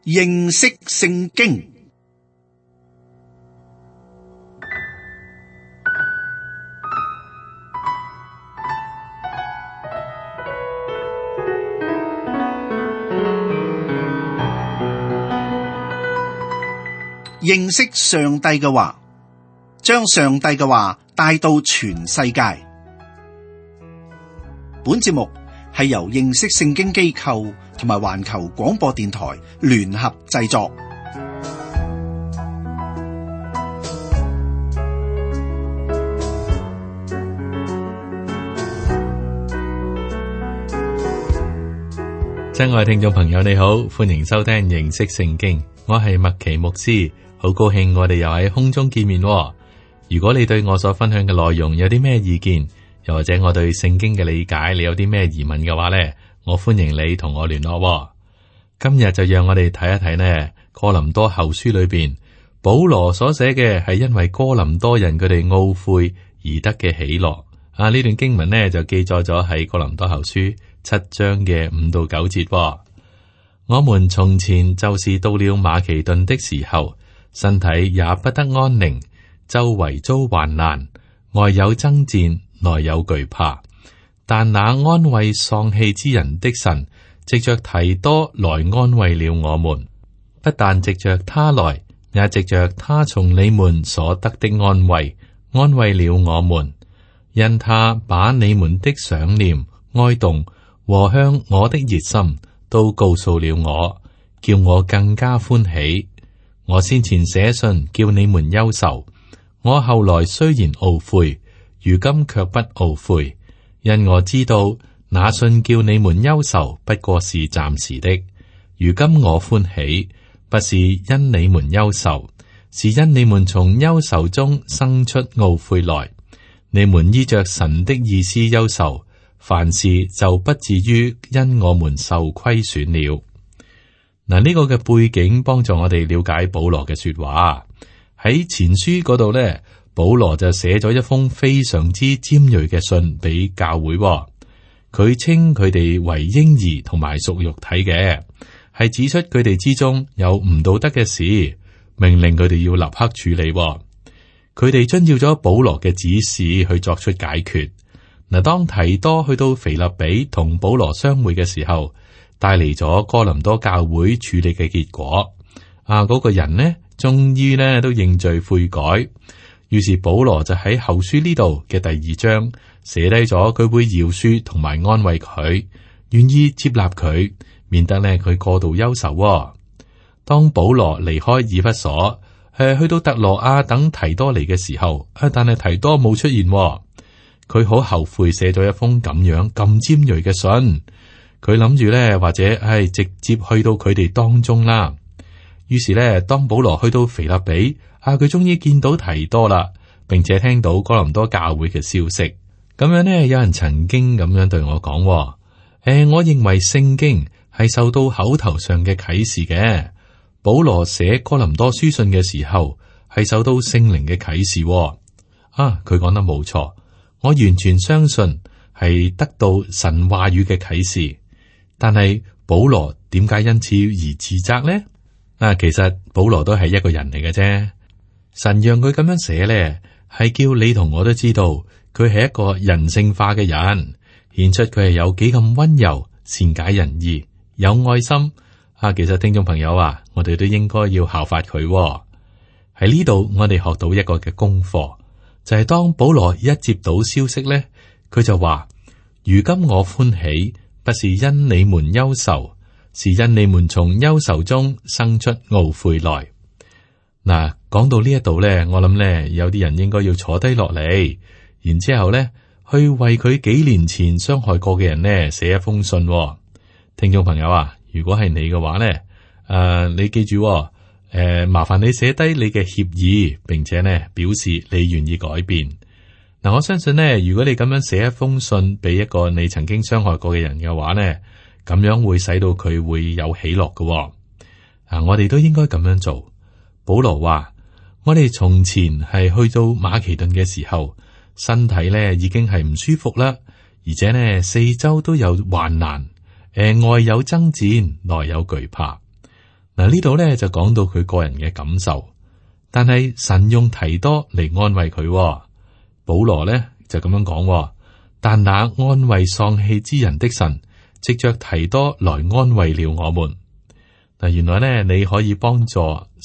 認識聖經。認識上帝嘅話，將上帝嘅話帶到全世界。本節目係由認識聖經機構同埋環球廣播電台聯合製作。親愛聽眾朋友，你好，歡迎收聽認識聖經，我係麥奇牧師，好高興我哋又喺空中見面。如果你對我所分享嘅內容有啲咩意見，又或者我對聖經嘅理解，你有啲咩疑問嘅話呢，我歡迎你同我聯絡。今日就讓我哋睇一睇呢哥林多後書裏邊保羅所寫嘅係因為哥林多人佢哋懊悔而得嘅喜樂。呢段經文呢就記載咗喺哥林多後書7章嘅5到9節。我們從前就是到了馬其頓的時候，身體也不得安寧，周圍遭患難，外有爭戰，內有懼怕。但那安慰喪氣之人的神，藉着提多來安慰了我們，不但藉着他來，也藉着他從你們所得的安慰，安慰了我們。因他把你們的想念、哀慟和向我的熱心都告訴了我，叫我更加歡喜。我先前寫信叫你們憂愁，我後來雖然懊悔，如今卻不懊悔，因我知道那信叫你們憂愁不過是暫時的。如今我歡喜，不是因你們憂愁，是因你們從憂愁中生出懊悔來。你們依着神的意思憂愁，凡事就不至於因我們受虧損了。呢個嘅背景幫助我哋了解保羅嘅說話。喺前書嗰度呢，保羅就寫咗一封非常之尖銳嘅信俾教會。佢稱佢哋為嬰兒同埋屬肉體嘅，係指出佢哋之中有唔道德嘅事，命令佢哋要立刻處理。佢哋遵照咗保羅嘅指示去作出解決。當提多去到腓立比同保羅相會嘅時候，帶嚟咗哥林多教會處理嘅結果。嗰個人呢，終於呢都認罪悔改。於是保羅就喺後書呢度嘅第2章寫低咗佢會饒恕同埋安慰佢，願意接納佢，免得呢佢過度憂愁。當保羅離開以弗所，去到特羅亞等提多嚟嘅時候，但係提多冇出現。佢好後悔寫咗一封咁尖銳嘅信。佢諗住咧，或者係直接去到佢哋當中啦。於是咧，當保羅去到腓立比，佢終於見到提多啦，並且聽到哥林多教會嘅消息。咁樣呢，有人曾經咁樣對我講，我認為聖經係受到口頭上嘅啟示嘅。保羅寫哥林多書信嘅時候，係受到聖靈嘅啟示。佢講得冇錯，我完全相信係得到神話語嘅啟示。但係保羅點解因此而自責呢？其實保羅都係一個人嚟嘅啫。神讓佢咁樣寫咧，係叫你同我都知道佢係一個人性化嘅人，顯出佢係有幾咁溫柔、善解人意、有愛心。其實聽眾朋友我哋都應該要效法佢。喺呢度，我哋學到一個嘅功課，就係當保羅一接到消息咧，佢就話：如今我歡喜，不是因你們憂愁，是因你們從憂愁中生出懊悔來。講到呢一度咧，我諗咧有啲人應該要坐低落嚟，然之後咧去為佢幾年前傷害過嘅人咧寫一封信。聽眾朋友如果係你嘅話咧，你記住，麻煩你寫低你嘅歉意，並且咧表示你願意改變。我相信咧，如果你咁樣寫一封信俾一個你曾經傷害過嘅人嘅話咧，咁樣會使到佢會有喜樂嘅。我哋都應該咁樣做。保羅話：我哋從前係去到馬其頓嘅時候，身體咧已經係唔舒服啦，而且呢四周都有患難，外有爭戰，內有懼怕。嗱，呢度咧就講到佢個人嘅感受，但係神用提多嚟安慰佢。保羅咧就咁樣講，但那安慰喪氣之人的神，藉着提多來安慰了我們。嗱，原來咧你可以幫助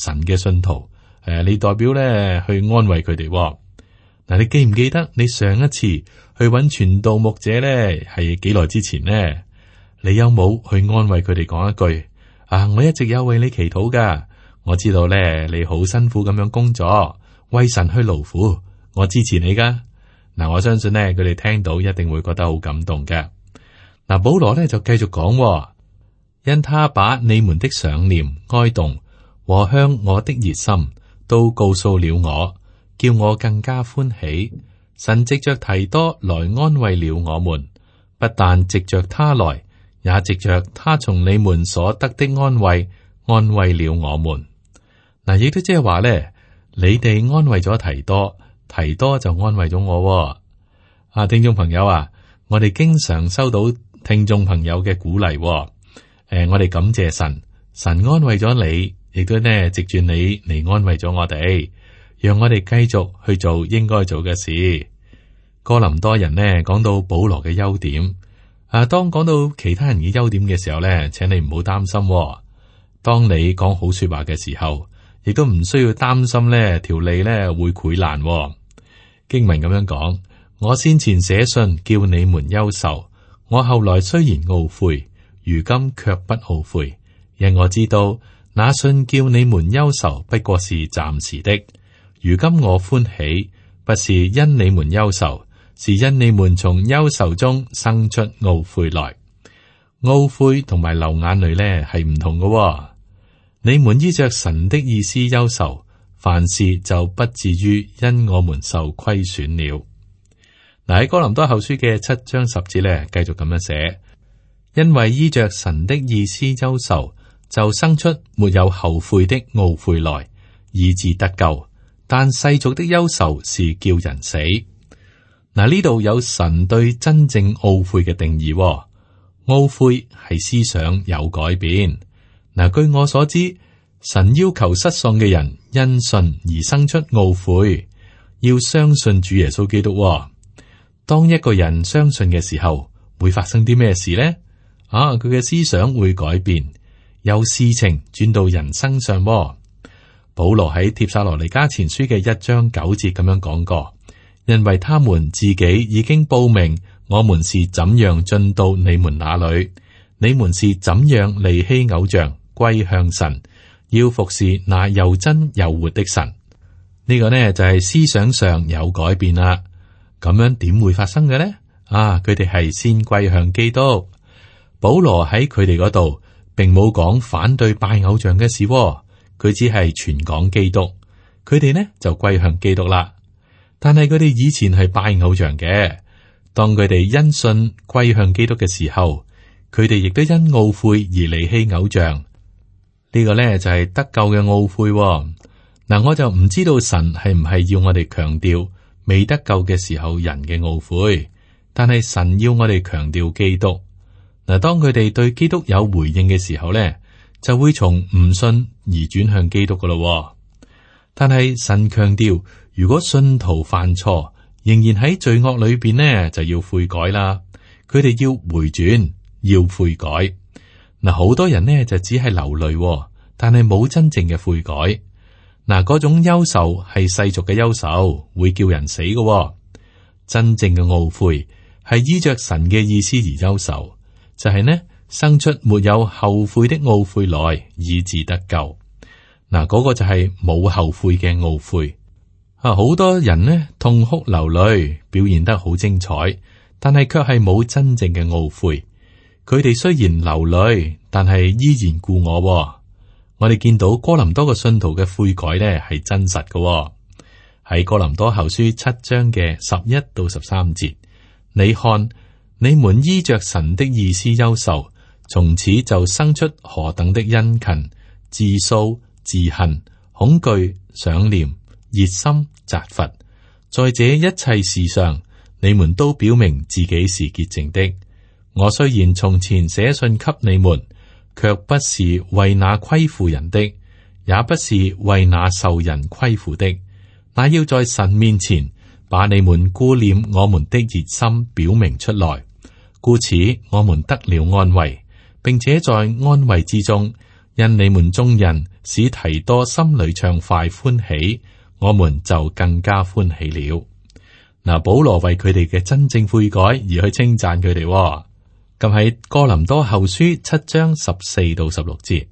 神嘅信徒，你代表咧去安慰佢哋。嗱，你記唔記得你上一次去揾傳道牧者咧係幾耐之前呢？你有冇去安慰佢哋講一句啊？我一直有為你祈禱噶，我知道咧你好辛苦咁樣工作，為神去勞苦，我支持你噶。嗱，我相信咧佢哋聽到一定會覺得好感動嘅。嗱，保羅咧就繼續講，因他把你們的想念、哀慟和向我的熱心都告訴了我，叫我更加歡喜。神藉着提多來安慰了我們，不但藉着他來，也藉着他從你們所得的安慰，安慰了我們。嗱，亦都即係話咧，你哋安慰咗提多，提多就安慰咗我。聽眾朋友啊，我哋經常收到聽眾朋友嘅鼓勵。我哋感謝神，神安慰咗你，亦都呢藉住你嚟安慰咗我哋，讓我哋繼續去做應該做嘅事。哥林多人呢講到保羅嘅優點。當講到其他人嘅優點嘅時候咧，請你唔好擔心。當你講好說話嘅時候，亦都唔需要擔心呢條脷咧會潰爛。經文咁樣講：我先前寫信叫你們憂愁，我後來雖然懊悔，如今卻不懊悔，因我知道那信叫你們憂愁不過是暫時的。如今我歡喜，不是因你們憂愁，是因你們從憂愁中生出懊悔來。懊悔同埋流眼淚呢係唔同嘅。你們依着神的意思憂愁，凡事就不至於因我們受虧損了。嗱，喺哥林多後書嘅7章10節呢，繼續咁樣寫：因為依着神的意思憂愁，就生出沒有後悔的懊悔來，以致得救。但世俗的憂愁是叫人死。嗱，呢度有神對真正懊悔嘅定義。懊悔係思想有改變。嗱，據我所知，神要求失喪嘅人因信而生出懊悔，要相信主耶穌基督。當一個人相信嘅時候，會發生啲咩事呢？佢嘅思想會改變，由事情轉到人身上。保羅喺帖撒羅尼迦前書嘅1章9節咁樣講過，因為他們自己已經報明，我們是怎樣進到你們那裏，你們是怎樣離棄偶像，歸向神，要服侍那又真又活的神。呢個呢就係思想上有改變啦。咁樣點會發生嘅呢？佢哋係先歸向基督。保羅喺佢哋嗰度，並冇講反對拜偶像嘅事。佢只係傳講基督，佢哋呢就歸向基督啦。但係佢哋以前係拜偶像嘅，當佢哋因信歸向基督嘅時候，佢哋亦都因懊悔而離棄偶像。呢個呢就係得救嘅懊悔。嗱，我就唔知道神係唔係要我哋強調未得救嘅時候人嘅懊悔，但係神要我哋強調基督。嗱，當佢哋對基督有回應嘅時候呢，就會從唔信而轉向基督噶咯。但係神強調，如果信徒犯錯，仍然喺罪惡裏邊呢，就要悔改啦。佢哋要回轉，要悔改。嗱，好多人呢就只係流淚，但係冇真正嘅悔改。嗱，嗰種憂愁係世俗嘅憂愁，會叫人死嘅。真正嘅懊悔係依着神嘅意思而憂愁，就係呢。生出沒有後悔的懊悔來，以致得救。嗱，嗰個就係冇後悔嘅懊悔。好多人呢痛哭流淚，表現得好精彩，但係卻係冇真正嘅懊悔。佢哋雖然流淚，但係依然故我。我哋見到哥林多嘅信徒嘅悔改呢係真實嘅。喺哥林多後書7章嘅11到13節，你看，你們依着神的意思憂愁，從此就生出何等的殷勤、自訴、自恨、恐懼、想念、熱心、責罰。在這一切事上，你們都表明自己是潔淨的。我雖然從前寫信給你們，卻不是為那虧負人的，也不是為那受人虧負的，乃要在神面前把你們顧念我們的熱心表明出來。故此，我們得了安慰，並且在安慰之中，因你們眾人使提多心裏暢快歡喜，我們就更加歡喜了。嗱，保羅為佢哋嘅真正悔改而去稱讚佢哋。咁喺哥林多後書7章14到16節，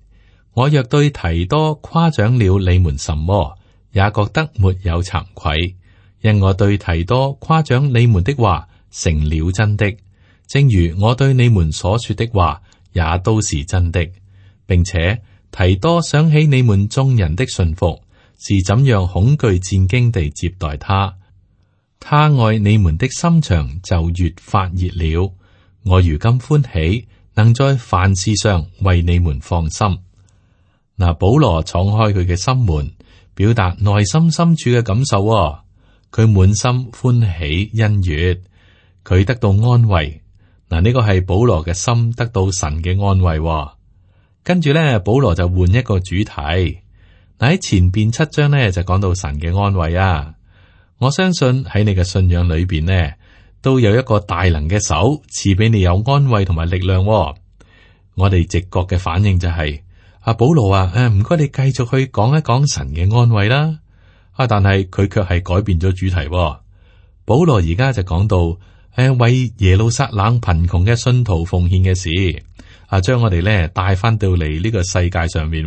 我若對提多誇獎了你們什麼，也覺得沒有慚愧，因我對提多誇獎你們的話成了真的，正如我對你們所說的話也都是真的，並且提多想起你們眾人的信服，是怎樣恐懼戰兢地接待他，他愛你們的心腸就越發熱了。我如今歡喜，能在凡事上為你們放心。嗱，保羅敞開佢嘅心門，表達內心深處嘅感受。佢滿心歡喜欣悅，佢得到安慰。嗱，呢個係保羅嘅心得到神嘅安慰。跟住咧，保羅就換一個主題。嗱，喺前邊7章咧就講到神嘅安慰啊。我相信喺你嘅信仰裏邊呢，都有一個大能嘅手賜俾你有安慰同埋力量。我哋直覺嘅反應就係阿保羅啊，唔該你繼續去講一講神嘅安慰啦。但係佢卻係改變咗主題。保羅而家就講到為耶路撒冷貧窮嘅信徒奉獻嘅事，將我哋咧帶翻到嚟呢個世界上面。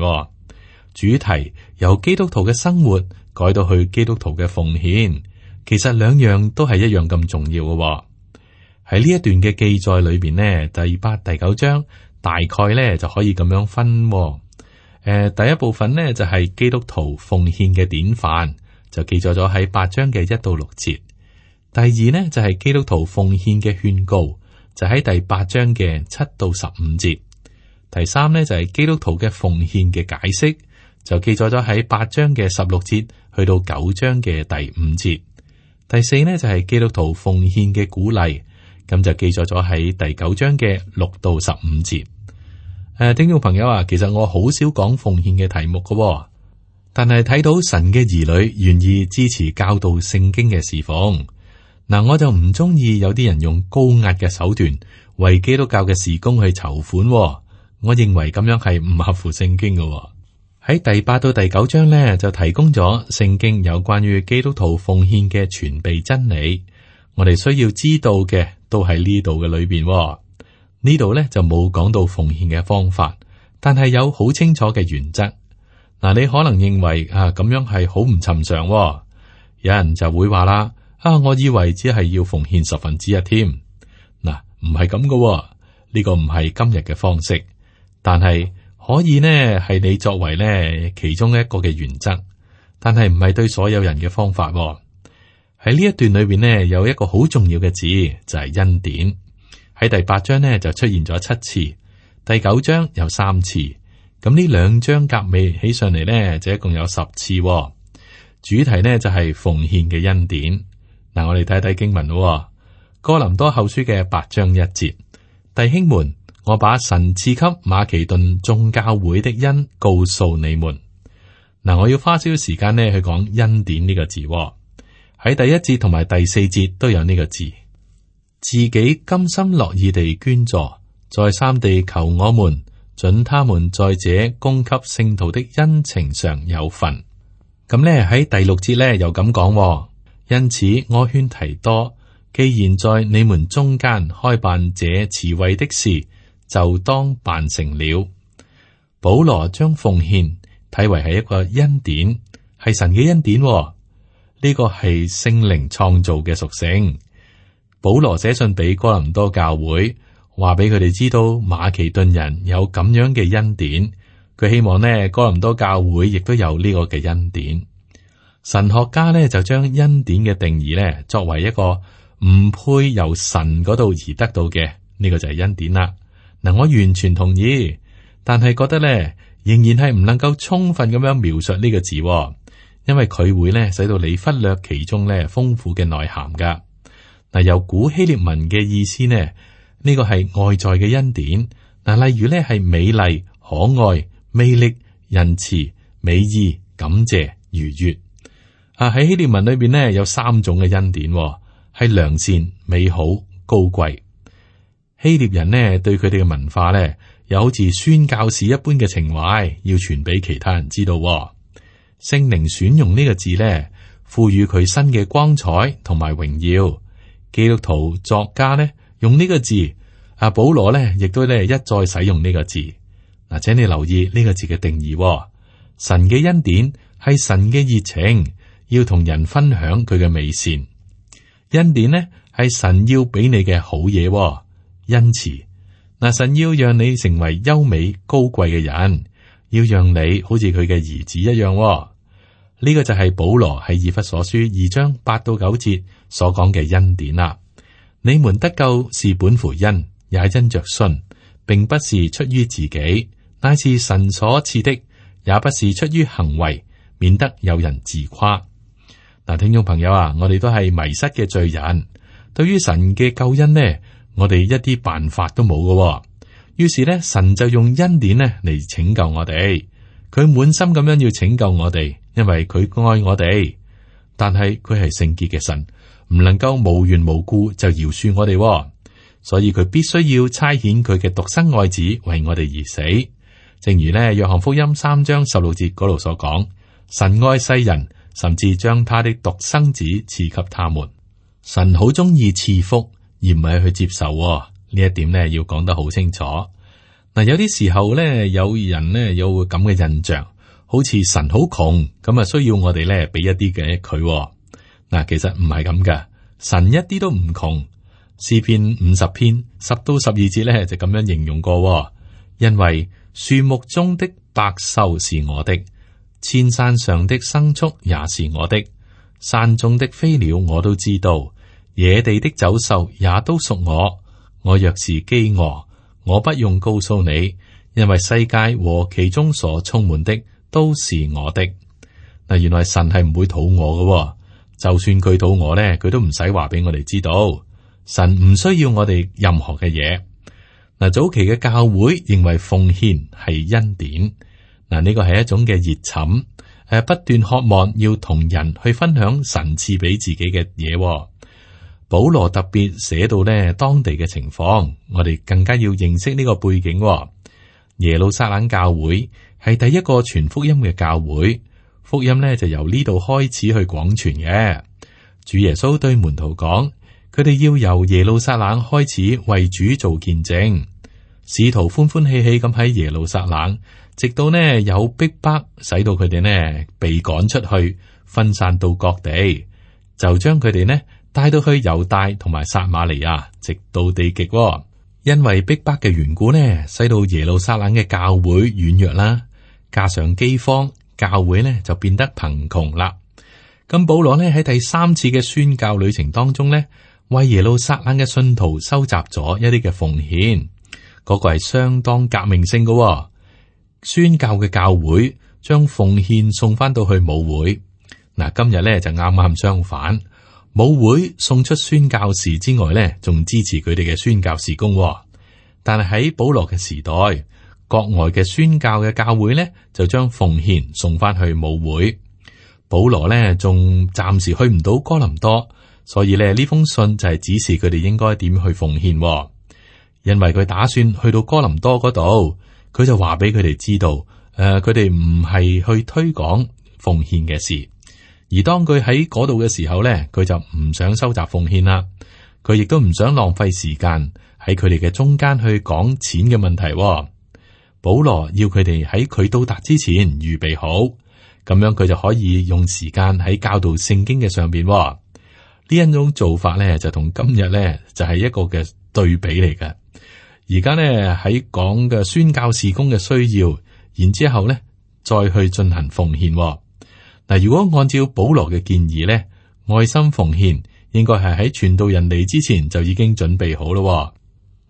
主題由基督徒嘅生活改到去基督徒嘅奉獻。其實兩樣都係一樣咁重要嘅。喺呢一段嘅記載裏邊呢，第8、第9章大概呢就可以咁樣分。第一部分呢就係基督徒奉獻嘅典範，就記載咗喺8章嘅1到6節。第二呢就係基督徒奉獻嘅勸告，就喺第8章嘅7到15節。第三呢就係基督徒嘅奉獻嘅解釋，就記載咗喺8章嘅16節去到9章嘅第5節。第四呢就係基督徒奉獻嘅鼓勵，咁就記載咗喺第9章嘅6到15節。聽眾朋友啊，其實我好少講奉獻嘅題目㗎，但係睇到神嘅兒女願意支持教導聖經嘅侍奉，我就唔中意有啲人用高壓嘅手段為基督教嘅事工去籌款。我認為咁樣係唔合乎聖經嘅。喺第8到第9章呢，就提供咗聖經有關於基督徒奉獻嘅全備真理。我哋需要知道嘅都喺呢度嘅裏邊。呢度呢就冇講到奉獻嘅方法，但係有好清楚嘅原則。你可能認為咁樣係好唔尋常。有人就會話啦，我以為只係要奉獻1/10添。唔係咁嘅，呢個唔係今日嘅方式，但係可以呢係你作為呢其中一個嘅原則，但係唔係對所有人嘅方法。喺呢一段裏邊呢，有一個好重要嘅字，就係恩典。喺第8章呢就出現咗7次，第9章有3次，咁呢2章夾尾起上嚟呢，就一共有10次。主題呢就係奉獻嘅恩典。我哋睇睇經文咯。哥林多後書嘅8章1節，弟兄們，我把神賜給馬其頓眾教會的恩告訴你們。我要花少少時間呢去講恩典呢個字。喺第1節同埋第4節都有呢個字。自己甘心樂意地捐助，再三地求我們准他們在這供給聖徒的恩情上有份。咁呢喺第6節呢又咁講，因此我勸提多，既然在你們中間開辦這慈惠的事，就當辦成了。保羅將奉獻睇為係一個恩典，係神嘅恩典。呢個係聖靈創造嘅屬性。保羅寫信俾哥林多教會，話俾佢哋知道馬其頓人有咁樣嘅恩典。佢希望呢哥林多教會亦都有呢個嘅恩典。神學家呢就將恩典嘅定義呢作為一個唔配由神嗰度而得到嘅，呢個就係恩典啦。我完全同意，但係覺得呢仍然係唔能夠充分咁樣描述呢個字，因為佢會呢使到你忽略其中呢豐富嘅內涵噶。由古希臘文嘅意思呢，呢個係外在嘅恩典，嗱，例如咧係美麗、可愛、魅力、仁慈、美意、感謝、愉悅。喺希臘文裏邊呢，有3種嘅恩典，係良善、美好、高貴。希臘人呢，對佢哋嘅文化呢，又好似宣教士一般嘅情懷，要傳俾其他人知道。聖靈選用呢個字呢，賦予佢新嘅光彩同埋榮耀。基督徒作家呢，用呢個字，保羅呢亦都呢一再使用呢個字。嗱，請你留意呢個字嘅定義。神嘅恩典係神嘅熱情，要同人分享佢嘅美善。恩典呢係神要俾你嘅好嘢，恩慈。嗱，神要讓你成為優美高貴嘅人，要讓你好似佢嘅兒子一樣。呢個就係保羅喺以弗所書2章8到9節所講嘅恩典啦。你們得救是本乎恩，也因着信，並不是出於自己，乃是神所賜的，也不是出於行為，免得有人自誇。嗱，聽眾朋友啊，我哋都係迷失嘅罪人，對於神嘅救恩呢，我哋一啲辦法都冇嘅。於是呢，神就用恩典呢嚟拯救我哋，佢滿心咁樣要拯救我哋，因為佢愛我哋。但係佢係聖潔嘅神，唔能夠無緣無故就饒恕我哋，所以佢必須要差遣佢嘅獨生愛子為我哋而死。正如呢約翰福音3章16節嗰度所講，神愛世人，甚至將他的獨生子賜給他們。神好中意賜福，而唔係去接受。呢一點呢要講得好清楚。嗱，有啲時候呢，有人呢有咁嘅印象，好似神好窮，咁啊需要我哋呢俾一啲嘅佢。嗱，其實唔係咁噶，神一啲都唔窮。詩篇50篇10到12節呢就咁樣形容過，因為樹木中的百獸是我的，千山上的牲畜也是我的，山中的飛鳥我都知道，野地的走獸也都屬我。我若是飢餓，我不用告訴你，因為世界和其中所充滿的都是我的。嗱，原來神係唔會肚餓嘅，就算佢肚餓呢，佢都唔使話俾我哋知道。神唔需要我哋任何嘅嘢。嗱，早期嘅教會認為奉獻係恩典。嗱，呢個係一種嘅熱忱，不斷渴望要同人去分享神賜俾自己嘅嘢。保羅特別寫到呢當地嘅情況，我哋更加要認識呢個背景。耶路撒冷教會係第一個傳福音嘅教會，福音呢就由呢度開始去廣傳嘅。主耶穌對門徒講，佢哋要由耶路撒冷開始為主做見證。使徒歡歡喜喜咁喺耶路撒冷，直到呢有逼迫，使到佢哋呢被趕出去，分散到各地，就將佢哋呢帶到去猶大同埋撒瑪利亞，直到地極。因為逼迫嘅緣故呢，使到耶路撒冷嘅教會軟弱啦，加上饑荒，教會呢就變得貧窮啦。咁保羅呢喺第3次嘅宣教旅程當中呢，為耶路撒冷嘅信徒收集咗一啲嘅奉獻，嗰個係相當革命性嘅。宣教嘅教會將奉獻送翻到去母會。嗱，今日呢就啱啱相反。母會送出宣教士之外呢，仲支持佢哋嘅宣教事工。但係喺保羅嘅時代，國外嘅宣教嘅教會呢，就將奉獻送翻去母會。保羅呢，仲暫時去唔到哥林多，所以呢封信就係指示佢哋應該點去奉獻。因為佢打算去到哥林多嗰度，佢就話俾佢哋知道，佢哋唔係去推廣奉獻嘅事。而當佢喺嗰度嘅時候呢，佢就唔想收集奉獻啦。佢亦都唔想浪費時間喺佢哋嘅中間去講錢嘅問題。保羅要佢哋喺佢到達之前預備好，咁樣佢就可以用時間喺教導聖經嘅上邊。呢一種做法呢，就同今日呢，就係一個嘅對比嚟嘅。而家呢，喺講嘅宣教事工嘅需要，然之後呢再去進行奉獻。嗱，如果按照保羅嘅建議咧，愛心奉獻應該係喺傳道人嚟之前就已經準備好咯。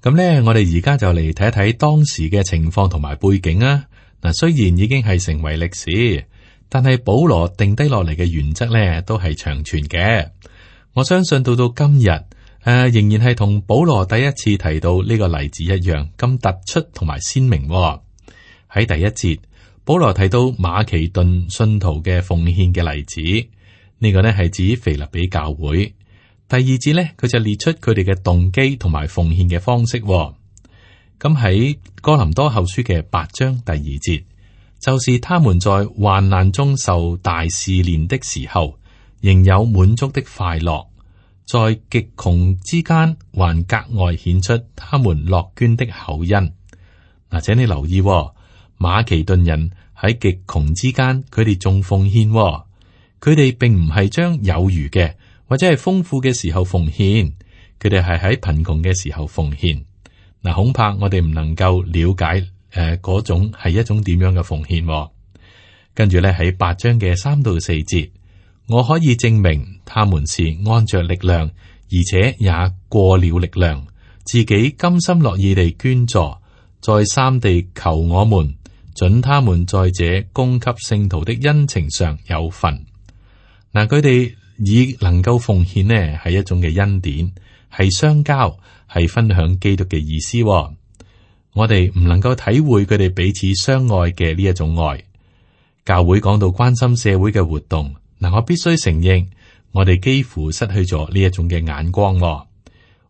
咁咧，我哋而家就嚟睇一睇當時嘅情況同埋背景啊。嗱，雖然已經係成為歷史，但係保羅定低落嚟嘅原則咧，都係長存嘅。我相信到今日，仍然係同保羅第一次提到呢個例子一樣咁突出同埋鮮明。喺第一節，保羅提到馬其頓信徒嘅奉獻嘅例子，呢個呢係指腓立比教會。第二節呢，佢就列出佢哋嘅動機同埋奉獻嘅方式。咁喺哥林多後書嘅8章第2節，就是他們在患難中受大試煉的時候，仍有滿足的快樂，在極窮之間還格外顯出他們樂捐的厚恩。嗱，請你留意，馬其頓人喺極窮之間，佢哋仲奉獻，佢哋並唔係將有餘嘅或者係豐富嘅時候奉獻，佢哋係喺貧窮嘅時候奉獻。嗱，恐怕我哋唔能夠了解嗰種係一種點樣嘅奉獻。跟住咧喺8章嘅3到4節，我可以證明他們是按着力量，而且也過了力量，自己甘心樂意地捐助，再三地求我們准他們在這供給聖徒的恩情上有份。嗱，佢哋以能夠奉獻呢係一種嘅恩典，係相交，係分享基督嘅意思。我哋唔能夠體會佢哋彼此相愛嘅呢一種愛。教會講到關心社會嘅活動，嗱，我必須承認，我哋幾乎失去咗呢一種嘅眼光。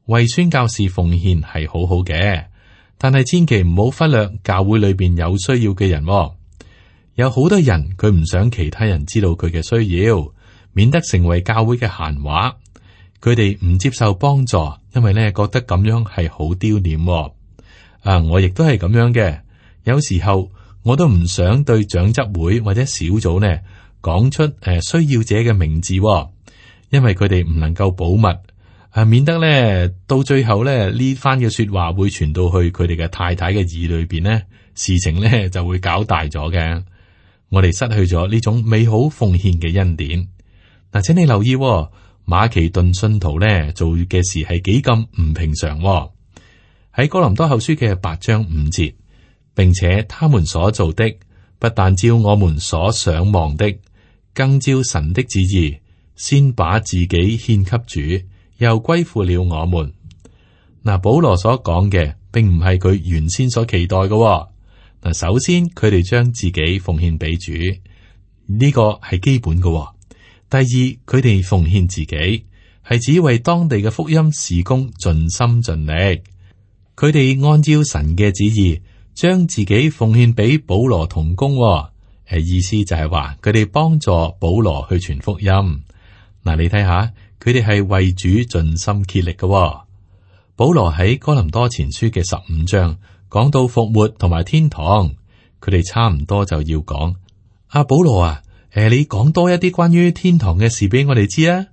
為宣教士奉獻係好好嘅，但係千祈唔好忽略教會裏邊有需要嘅人。有好多人佢唔想其他人知道佢嘅需要，免得成為教會嘅閒話。佢哋唔接受幫助，因為咧覺得咁樣係好丟臉。我亦都係咁樣嘅。有時候我都唔想對長執會或者小組呢講出需要者嘅名字，因為佢哋唔能夠保密，免得咧到最後咧呢番嘅說話會傳到去佢哋嘅太太嘅耳裏邊呢，事情咧就會搞大咗嘅。我哋失去咗呢種美好奉獻嘅恩典。嗱，請你留意，馬其頓信徒咧做嘅事係幾咁唔平常。喺哥林多後書嘅8章5節，並且他們所做的不但照我們所想望的，更照神的旨意，先把自己獻給主，又歸附了我們。嗱，保羅所講嘅並唔係佢原先所期待嘅。嗱，首先佢哋將自己奉獻俾主，呢個係基本嘅。第二，佢哋奉獻自己係只為當地嘅福音事工盡心盡力。佢哋按照神嘅旨意，將自己奉獻俾保羅同工。意思就係話佢哋幫助保羅去傳福音。嗱，你睇下，佢哋係為主盡心竭力嘅。保羅喺哥林多前書嘅15章講到復活同埋天堂，佢哋差唔多就要講保羅啊，你講多一啲關於天堂嘅事俾我哋知啊。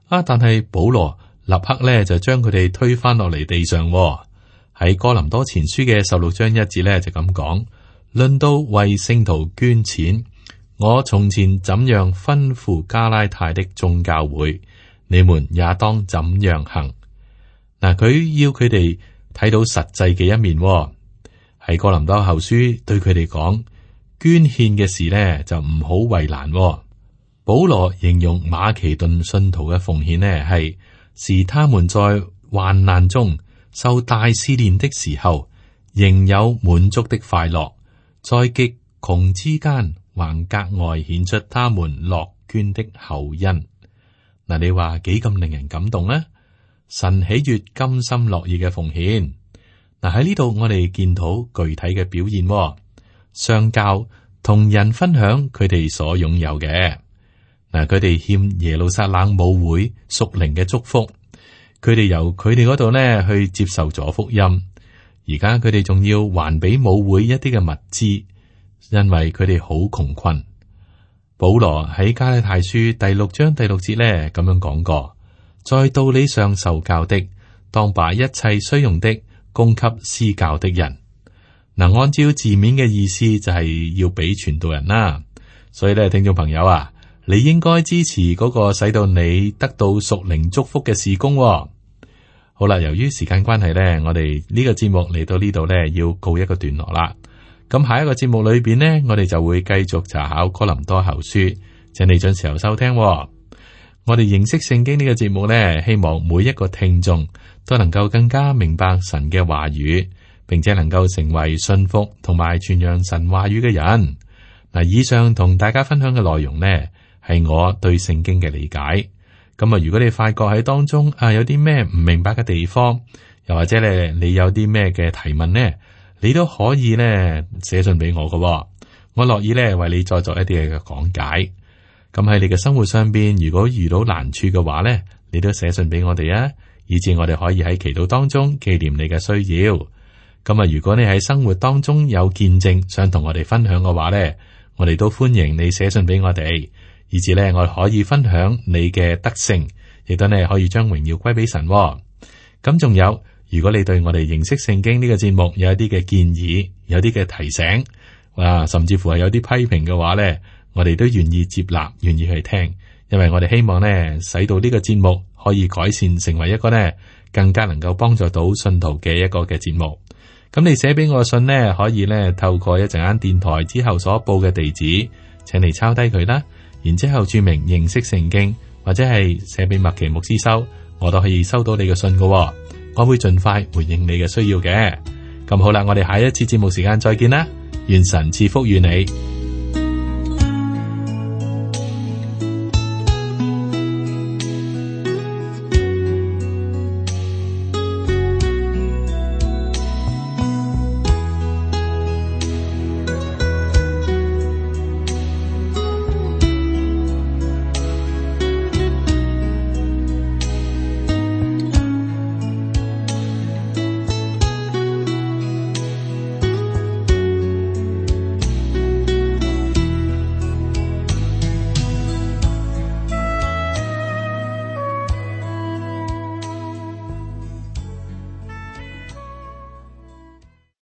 但係保羅立刻咧就將佢哋推返落嚟地上。喺哥林多前書嘅16章1節咧就咁講，論到為聖徒捐錢，我從前怎樣吩咐加拉太的眾教會，你們也當怎樣行。嗱，佢要佢哋睇到實際嘅一面。喺哥林多後書對佢哋講，捐獻嘅事呢就唔好為難。保羅形容馬其頓信徒嘅奉獻呢是他們在患難中受大試煉的時候，仍有滿足的快樂，在極窮之間還格外顯出他們樂捐的厚恩。嗱，你話幾咁令人感動呢？神喜悅甘心樂意嘅奉獻。嗱，喺呢度我哋見到具體嘅表現，相交同人分享佢哋所擁有嘅。嗱，佢哋欠耶路撒冷母會屬靈嘅祝福。佢哋由佢哋嗰度呢去接受咗福音，而家佢哋仲要還俾母會一啲嘅物資，因為佢哋好窮困。保羅喺加拉太書第6章第6節呢咁樣講過，在道理上受教的，當把一切需用的供給施教的人。嗱，按照字面嘅意思就係要俾傳道人啦。所以咧，聽眾朋友啊，你應該支持嗰個使到你得到屬靈祝福嘅事工。好啦，由於時間關係咧，我哋呢個節目嚟到呢度咧，要告一個段落啦。咁下一個節目裏邊呢，我哋就會繼續查考哥林多後書，請你準時候收聽。我我哋認識聖經呢個節目呢，希望每一個聽眾都能夠更加明白神嘅話語，並且能夠成為信服同埋傳揚神話語嘅人。嗱，以上同大家分享嘅內容呢，係我對聖經嘅理解。咁啊，如果你發覺喺當中有啲咩唔明白嘅地方，又或者咧你有啲咩嘅提問呢，你都可以咧寫信俾我㗎，我樂意咧為你再作一啲嘅講解。咁喺你嘅生活上邊，如果遇到難處嘅話咧，你都寫信俾我哋啊，以致我哋可以喺祈禱當中紀念你嘅需要。咁啊，如果你喺生活當中有見證想同我哋分享嘅話咧，我哋都歡迎你寫信俾我哋，以致咧我哋可以分享你嘅德性，亦都咧可以將榮耀歸俾神。咁仲有，如果你對我哋認識聖經呢個節目有一啲嘅建議，有啲嘅提醒，甚至乎係有啲批評嘅話咧，我哋都願意接納，願意去聽，因為我哋希望呢，使到呢個節目可以改善，成為一個呢更加能夠幫助到信徒嘅一個嘅節目。咁你寫俾我嘅信呢，可以呢透過一陣間電台之後所報嘅地址，請你抄低佢啦，然之後注明認識聖經，或者係寫俾麥奇牧師收，我都可以收到你嘅信㗎。我會盡快回應你嘅需要嘅。咁好啦，我哋下一次節目時間再見啦，願神賜福與你。